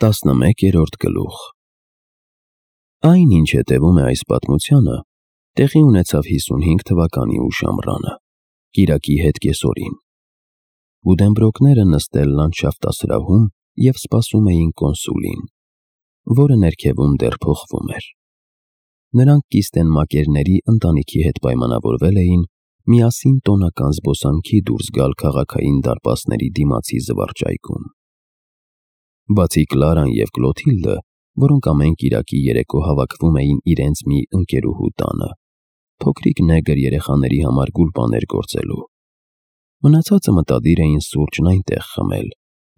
11-րդ գլուխ Այն, ինչ հետևում է այս պատմությանը, տեղի ունեցավ 55 թվականի ուշ ամռանը, կիրակի հետ կեսօրին։ Բուդենբրոկները նստել լանդշաֆտասրահում և սպասում էին կոնսուլին, որը ներքևում դեռ փոխվում էր։ Նրանք կիստենմակերների ընտանիքի հետ պայմանավորվել էին միասին տոնական զբոսանքի դուրս գալ քաղաքային դարպասների դիմացի զվարճայքում։ Բացի Կլարան և Կլոթիլդը, որոնք ամեն կիրակի երեկո հավաքվում էին իրենց մի ընկերուհու տանը, փոքրիկ նեգր երեխաների համար գուլպաներ գործելու։ Մնացածը մտադիր էին սուրճն այնտեղ խմել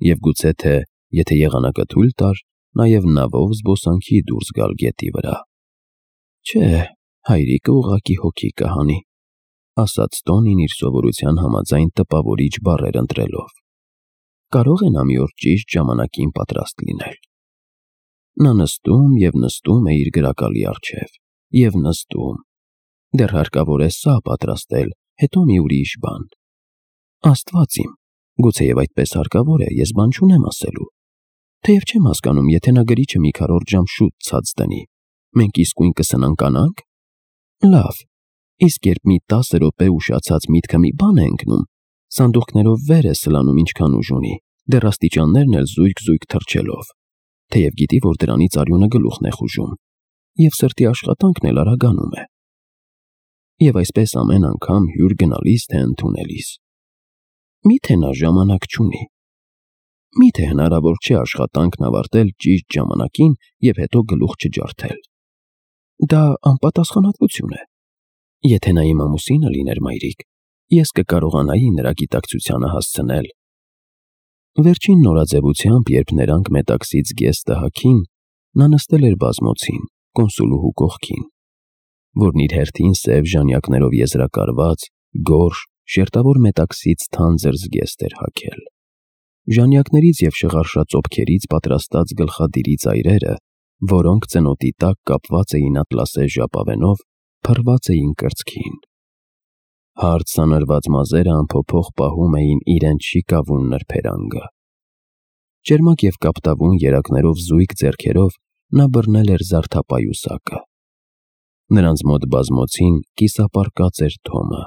և գուցե թե, եթե եղանակը թույլ տար, նաև նավով զբոսանքի դուրս գալ գետի վրա։ Չէ, հայրիկը ուղղակի հոգի կհանի, ասաց Տոնին իր սովորության համաձայն տպավորիչ բառեր ընտրելով։ Կարող է նա մի օր ճիշտ ժամանակին պատրաստ լինել։ Նա նստում և նստում է իր գրակալի առջև, և նստում։ Դեռ հարկավոր է սա պատրաստել, հետո մի ուրիշ բան։ Աստված իմ, գուցեև այդպես հարկավոր է, ես բան չունեմ ասելու։ Թեև չեմ հասկանում, եթե նա գրիչը մի քառորդ ժամ շուտ ցած դնի, մենք իսկույն կսնանկանա՞նք։ Լավ, իսկ երբ մի 10 րոպե ուշացած միտքը մի բան է ընկնում, սանդուղքներով վեր է սլանում ինչքան ուժ ունի, դեռ աստիճաններն էլ զույգ-զույգ թռչելով, թեև գիտի, որ դրանից արյունը գլուխն է խուժում, և սրտի աշխատանքն էլ արագանում է։ Եվ այսպես ամեն անգամ հյուր գնալիս թե ընդունելիս։ Միթե նա ժամանակ չունի։ Միթե հնարավոր չէ աշխատանքն ավարտել ճիշտ ժամանակին և հետո գլուխ չջարդել։ Դա անպատասխանատվություն է։ Եթե նա իմ ամուսինը լիներ, մայրիկ, ես կկարողանայի նրա գիտակցությանը հասցնել։ Վերջին նորաձևությամբ, երբ նրանք Մետաքսից գեստը հագին, նա նստել էր բազմոցին, կոնսուլուհու կողքին, որն իր հերթին սև ժանյակներով եզրակարված, գորշ, շերտավոր Մետաքսից թանձր զգեստ էր հագել։ Ժանյակներից և շղարշածոփքերից պատրաստած գլխադիրի ծայրերը, որոնք ծնոտի տակ կապված էին ատլասե ժապավենով, փռված էին կրծքին։ Հարթ սանրված մազերը անփոփոխ պահում էին իրենց շիկավուն նրբերանգը։ Ճերմակ և կապտավուն երակներով զույգ ձեռքերով նա բռնել էր զարդապայուսակը։ Նրանց մոտ բազմոցին կիսապարկած էր Թոմը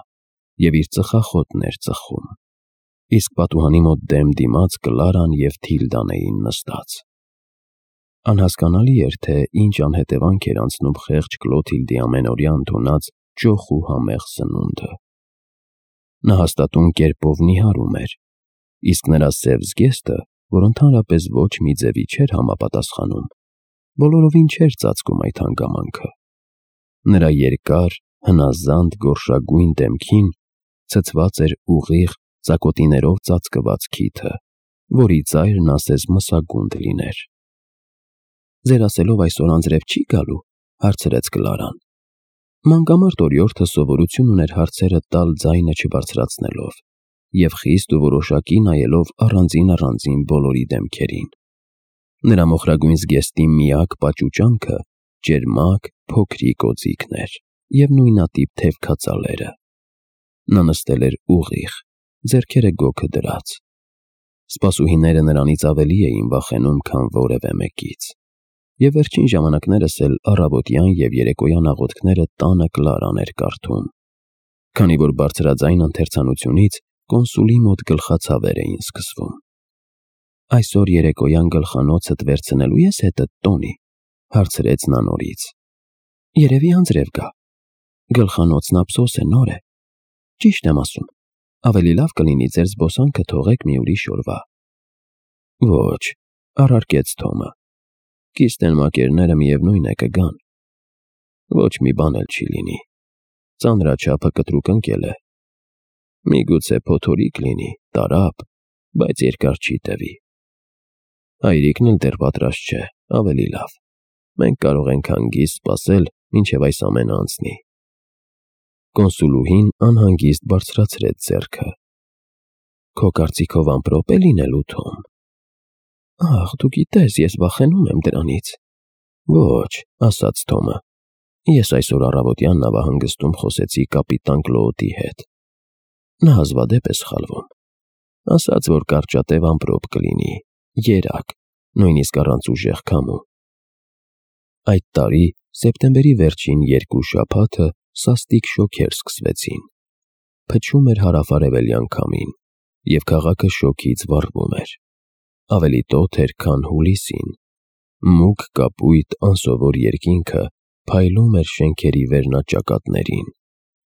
և իր ծխախոտն էր ծխում, իսկ պատուհանի մոտ դեմ դիմաց Կլարան և Թիլդան էին նստած։ Անհասկանալի էր, թե ինչ անհետևանք էր անցնում խեղճ Կլոթիլդի ամենօրյա ընդունած ճոխ ու համեղ սնունդը։ Նա հաստատուն կերպով նիհարում էր, իսկ նրա սև զգեստը, որ ընդհանրապես ոչ մի ձևի չէր համապատասխանում, բոլորովին չէր ծածկում այդ հանգամանքը։ Նրա երկար, հնազանդ գորշագույն դեմքին ցցված էր ուղիղ, ծակոտիներով ծածկված քիթը, որի ծայրն ասես մսագունդ լիներ։ Ձեր ասելով այսօր անձրև չի գալու, հարցրեց Կլարան։ Մանկամարտ օրիորդը սովորություն ուներ հարցերը տալ ձայնը չբարձրացնելով և խիստ ու որոշակի նայելով առանձին բոլորի դեմքերին։ Նրա մոխրագույն զգեստի միակ պաճուճանքը ճերմակ, փոքրիկ օձիքն էր և նույնատիպ թևքածալերը։ Նա նստել էր ուղիղ, ձեռքերը գոգը դրած։ Սպասուհիները նրանից ավելի էին վախենում, քան որևէ մեկից։ Եվ վերջին ժամանակներս էլ առավոտյան և երեկոյան աղոթքները տանը Կլարան էր կարդում, քանի որ բարձրաձայն ընթերցանությունից կոնսուլի մոտ գլխացավեր էին սկսվում։ Այսօր երեկոյան գլխանոցդ վերցնելու ես հետդ, Տոնի, հարցրեց նա նորից։ Երևի անձրև գա։ Գլխանոցն ափսոս է, նոր է։ Ճիշտ եմ ասում, ավելի լավ կլինի ձեր զբոսանքը թողեք մի ուրիշ օրվա։ Ոչ, առարկեց Թոմը։ Կիստենմակերները միևնույն է կգան։ Ոչ մի բան էլ չի լինի։ Ծանրաչափը կտրուկ ընկել է։ Միգուցե փոթորիկ լինի, տարափ, բայց երկար չի տևի։ Հայրիկն էլ դեռ պատրաստ չէ, ավելի լավ։ Մենք կարող ենք հանգիստ սպասել, մինչև այս ամենը անցնի։ Կոնսուլուհին անհանգիստ բարձրացրեց ձեռքը։ Քո կարծիքով ամպրոպ է լինելու, Թոմ։ Ահ, դու գիտես, ես վախենում եմ դրանից։ Ոչ, ասաց Թոմը։ Ես այսօր առավոտյան նավահանգստում խոսեցի կապիտան Կլոոտի հետ։ Նա հազվադեպ է սխալվում։ Ասաց, որ կարճատև ամպրոպ կլինի, երակ, նույնիսկ առանց ուժեղ քամու։ Այդ տարի սեպտեմբերի վերջին 2 շաբաթը սաստիկ շոգեր սկսվեցին։ Փչում էր հարավ-արևելյան քամին, և քաղաքը շոգից վառվում էր։ Ավելի տոթ էր, քան հուլիսին։ Մուգ կապույտ անսովոր երկինքը փայլում էր շենքերի վերնաճակատներին,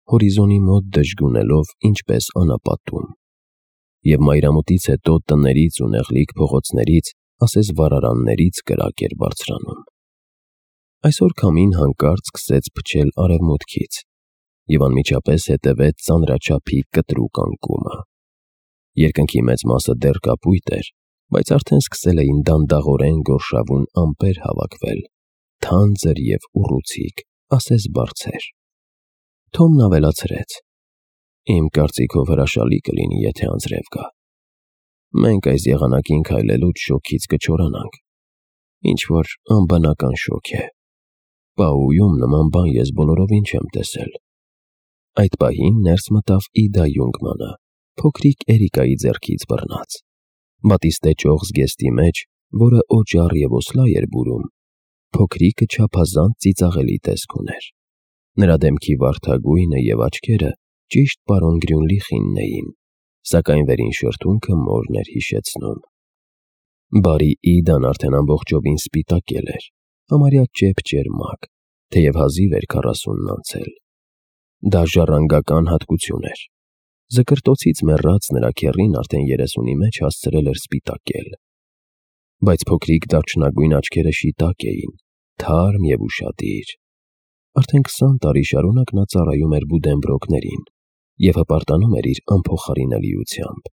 հորիզոնի մոտ դժգունելով ինչպես անապատում։ Եվ մայրամուտից հետո տներից ու նեղլիկ փողոցներից, ասես վառարաններից կրակ էր բարձրանում։ Այսօր քամին հանկարծ սկսեց փչել արևմուտքից, և անմիջապես հետևեց ծանրաչափի կտրուկ անկումը։ Երկնքի մեծ մասը դեռ կապույտ էր, բայց արդեն սկսել էին դանդաղորեն գորշավուն ամպեր հավաքվել, թանձր և ուռուցիկ, ասես բարձեր։ Թոմն ավելացրեց. «Իմ կարծիքով հրաշալի կլինի, եթե անձրև գա։ Մենք այս եղանակին քայլելուց շոգից կչորանանք։ Ինչ-որ անբնական շոգ է։ Պաուում նման բան ես բոլորովին չեմ տեսել»։ Այդ պահին ներս մտավ Իդա Յունգմանը, փոքրիկ Էրիկայի ձեռքից բռնած։ Բատիստե ճոխ զգեստի մեջ, որը օճառ և օսլա էր բուրում, փոքրիկը չափազանց ծիծաղելի տեսք ուներ։ Նրա դեմքի վարդագույնը և աչքերը ճիշտ պարոն Գրյունլիխինն էին, սակայն վերին շրթունքը մորն էր հիշեցնում։ Բարի Իդան արդեն ամբողջովին սպիտակել էր, համարյա ճեպ-ճերմակ, թեև հազիվ էր 40-ն անցել։ Դա ժառանգական հատկություն էր։ Զկրտոցից մեռած նրա քեռին արդեն 30-ի մեջ հասցրել էր սպիտակել։ Բայց փոքրիկ դարչնագույն աչքերը շիտակ էին, թարմ և ուշադիր։ Արդեն 20 տարի շարունակ նա ծառայում էր Բուդենբրոկներին և հպարտանում էր իր անփոխարինելիությամբ։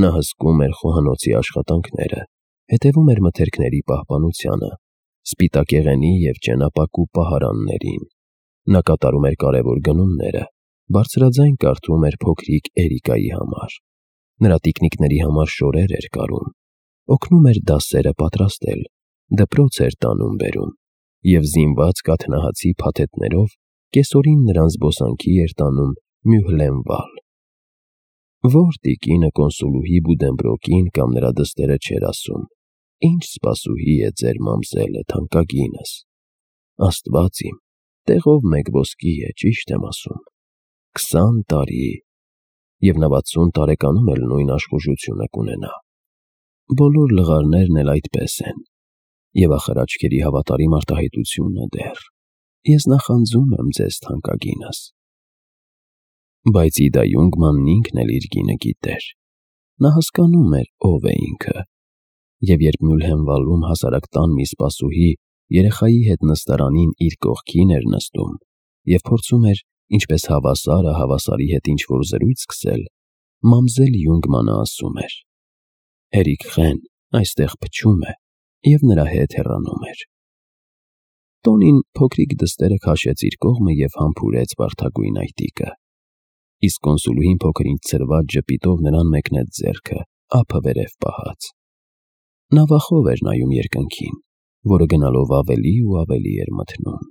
Նա հսկում էր խոհանոցի աշխատանքները, հետևում էր մթերքների պահպանությանը, սպիտակեղենի և ճենապակու պահարաններին։ Նա կատարում էր կարևոր գնումները, բարձրաձայն կարդում էր փոքրիկ Էրիկայի համար։ Նրա տիկնիկների համար շորեր էր կարում, օգնում էր դասերը պատրաստել, դպրոց էր տանում-բերում և զինված կաթնահացի փաթեթներով կեսօրին նրան զբոսանքի էր տանում Մյուհլենվալ։ Ո՞ր տիկինը կոնսուլուհի Բուդենբրոկին կամ նրա դստերը չէր ասում. «Ինչ սպասուհի է ձեր մամզելը, թանկագինս»։ Աստված իմ, տեղով մեկ ոսկի է, ճիշտ եմ ասում։ 20 տարի, և նա 60 տարեկանում էլ նույն աշխուժությունը կունենա։ Բոլոր լղարներն էլ այդպես են, և ախր աչքերի հավատարիմ արտահայտությունը դեռ։ Ես նախանձում եմ ձեզ, թանկագինս։ Բայց Իդա Յունգմանն ինքն էլ իր կինը գիտեր։ Նա հասկանում էր ով է ինքը։ Եվ երբ Մյուլհենվալում հասարակ տան մի սպասուհի երեխայի հետ նստարանին իր կողքին էր նստում և փորձում էր, ինչպես հավասարը հավասարի հետ ինչ-որ զրույց սկսել, մամզել Յունգմանը ասում էր. «Հերիք խեն, այստեղ փչում է», և նրա հետ հեռանում էր։ Տոնին փոքրիկ դստերը քաշեց իր կողմը և համբուրեց վարդագույն այտիկը։ Իսկ կոնսուլուհին փոքր-ինչ ցրված ժպիտով նրան մեկնեց ձեռքը, ափը վերև պահած։ Նա վախով էր նայում երկնքին, որը գնալով ավելի ու ավելի էր մթնում։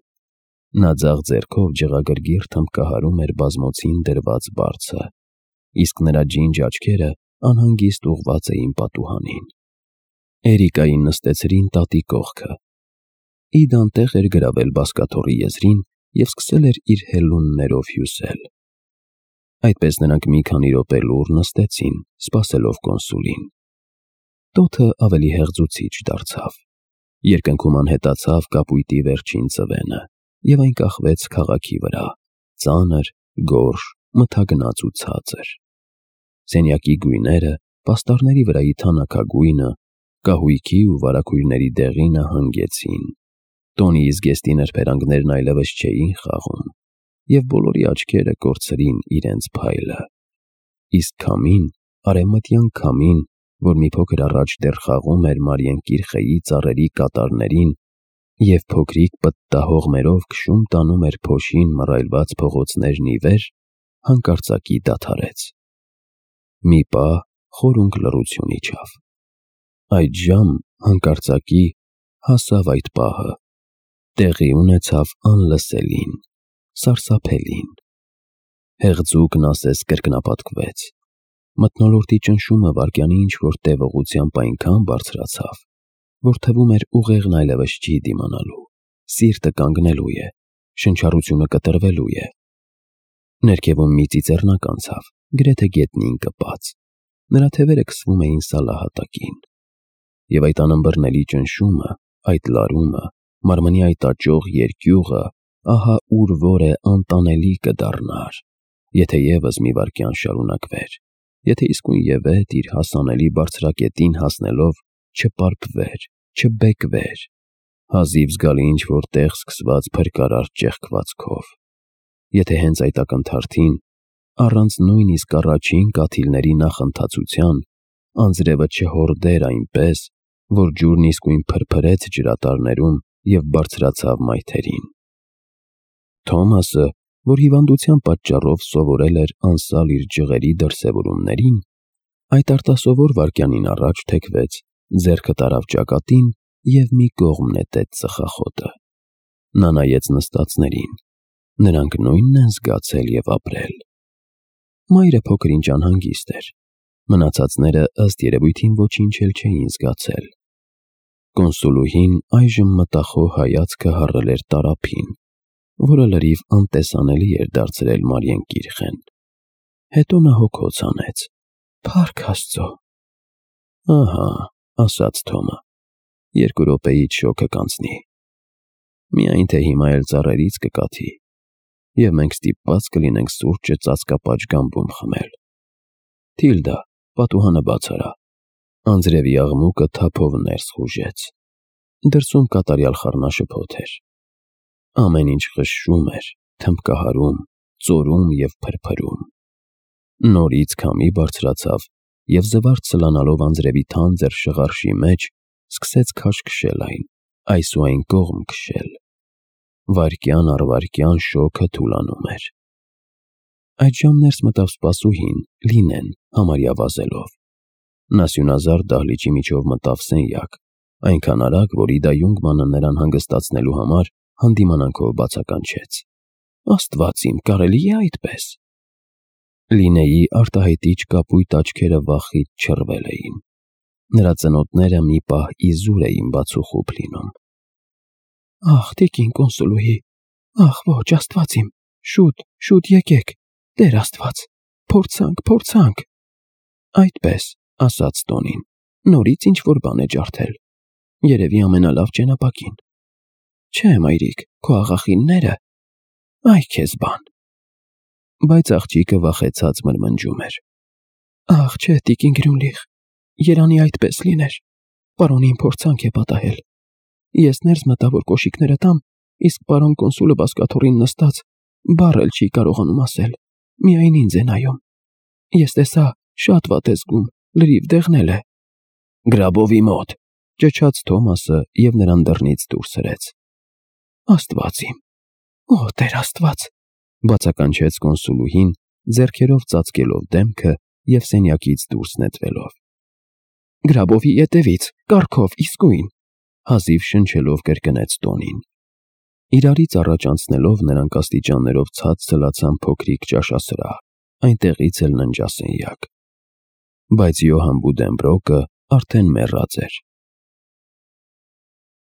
Նա ձախ ձեռքով ջղագրգիռ թմբկահարում էր բազմոցին դրված բարձը, իսկ նրա ջինջ աչքերը անհանգիստ ուղղված էին պատուհանին։ Էրիկային նստեցրին տատի կողքը։ Իդան տեղ էր գրավել բազկաթոռի եզրին և սկսել էր իր հելուններով հյուսել։ Այդպես նրանք մի քանի րոպե լուռ նստեցին, սպասելով կոնսուլին։ Տոթը ավելի հեղձուցիչ դարձավ։ Երկնքում անհետացավ կապույտի վերջին ծվենը, և այն կախվեց քաղաքի վրա, ծանր, գորշ, մթագնաց ու ցածր։ Սենյակի գույները, պաստառների վրայի թանաքագույնը, կահույքի ու վարագույրների դեղինը հանգեցին։ Տոնի զգեստի նրբերանգներն այլևս չէին խաղում, և բոլորի աչքերը կորցրին իրենց փայլը։ Իսկ քամին, արևմտյան քամին, որ մի փոքր առաջ դեռ խաղում էր Մարիենկիրխեի ծառերի կատարներին և փոքրիկ պտտահողմերով քշում տանում էր փոշին մռայլված փողոցներն ի վեր, հանկարծակի դադարեց։ Մի պահ խորունկ լռություն իջավ։ Այդժամ հանկարծակի հասավ այդ պահը։ Տեղի ունեցավ անլսելին, սարսափելին։ Հեղձուկն ասես կրկնապատկվեց։ Մթնոլորտի ճնշումը վայրկյանի ինչ-որ տևողությամբ այնքան բարձրացավ, որ թվում էր ուղեղն այլևս չի դիմանալու, սիրտը կանգնելու է, շնչառությունը կտրվելու է։ Ներքևում մի ծիծեռնակ անցավ, գրեթե գետնին կպած, նրա թևերը քսվում էին սալահատակին։ Եվ այդ անըմբռնելի ճնշումը, այդ լարումը, մարմնի այդ աճող երկյուղը, ահա ուր որ է անտանելի կդառնար, եթե ևս մի վայրկյան շարունակվեր, եթե իսկույնևեթ իր հասանելի բարձրակետին հասնելով չպարփվեր, չբեկվեր, հազիվ զգալի ինչ-որ տեղ սկսված փրկարար ճեղքվածքով, եթե հենց այդ ակնթարթին, առանց նույնիսկ առաջին կաթիլների նախընթացության, անձրևը չհորդեր այնպես, որ ջուրն իսկույն փրփրեց ջրատարներում և բարձրացավ մայթերին։ Թոմասը, որ հիվանդության պատճառով սովորել էր անսալ իր ջղերի դրսևորումներին, այդ արտասովոր վայրկյանին առաջ թեքվեց, ձեռքը տարավ ճակատին և մի կողմ նետեց ծխախոտը։ Նա նայեց նստածներին, նրանք նույնն են զգացել և ապրել։ Մայրը փոքր-ինչ անհանգիստ էր, մնացածները ըստ երևույթին ոչինչ էլ չէին զգացել։ Կոնսուլուհին այժմ մտախոհ հայացքը հառել էր տարափին, որը լրիվ անտեսանելի էր դարձրել Մարիեն կիրխեն։ Հետո նա հոգոց հանեց. «Փառք Աստծո»։ «Ահա», ասաց Թոմը, 2 րոպեից շոգը կանցնի։ Միայն թե հիմա էլ ծառերից կկաթի, և մենք ստիպված կլինենք սուրճը ծածկապաճ գամբում խմել։ Թիլդա, պատուհանը բաց արա։ Անձրևի աղմուկը թափով ներս խուժեց։ Դրսում կատարյալ խառնաշփոթ էր։ Ամեն ինչ խշշում էր, թմբկահարում, ծորում և փրփրում։ Նորից քամի բարձրացավ և զվարթ սլանալով անձրևի թանձր շղարշի մեջ, սկսեց քաշ քշել այն, այս ու այն կողմ քշել։ Վայրկյան առ վայրկյան շոգը թուլանում էր։ Այդժամ ներս մտավ սպասուհին, Լինեն, համարյա վազելով։ Նա սյունազարդ դահլիճի միջով մտավ սենյակ, այնքան արագ, որ Իդա Յունգմանը նրան հանգստացնելու համար հանդիմանանքով բացականչեց. «Աստված իմ, կարելի է այդպես»։ Լինեի արտահայտիչ կապույտ աչքերը վախից չռվել էին։ Նրա ծնոտները մի պահ իզուր էին բացուխուփ լինում։ «Ախ, տիկին կոնսուլուհի, ախ, ոչ, Աստված իմ, շուտ եկեք, Տեր Աստված, փորձանք»։ «Այդպես», ասաց Տոնին, նորից ինչ-որ բան է ջարդել, երևի ամենալավ ճենապակին։ «Չէ, մայրիկ, քո աղախինները, այ քեզ բան»։ Բայց աղջիկը վախեցած մրմնջում էր. «Ախ, չէ, տիկին Գրյունլիխ, երանի այդպես լիներ, պարոնին փորձանք է պատահել։ Ես ներս մտա, որ կոշիկները տամ, իսկ պարոն կոնսուլը բազկաթոռին նստած, բառ էլ չի կարողանում ասել, միայն ինձ է նայում։ Ես տեսա, շատ վատ է զգում, լրիվ դեղնել է»։ «Գրաբովի մոտ», ճչաց Թոմասը և նրան դռնից դուրս հրեց։ «Աստված իմ, օ Տեր Աստված», բացականչեց կոնսուլուհին, ձեռքերով ծածկելով դեմքը և սենյակից դուրս նետվելով։ «Գրաբովի ետևից, կառքով, իսկույն», հազիվ շնչելով կրկնեց Տոնին։ Իրարից առաջ անցնելով նրանք աստիճաններով ցած սլացան փոքրիկ ճաշասրահ, այնտեղից էլ ննջասենյակ։ Բայց Յոհան Բուդենբրոկը արդեն մեռած էր։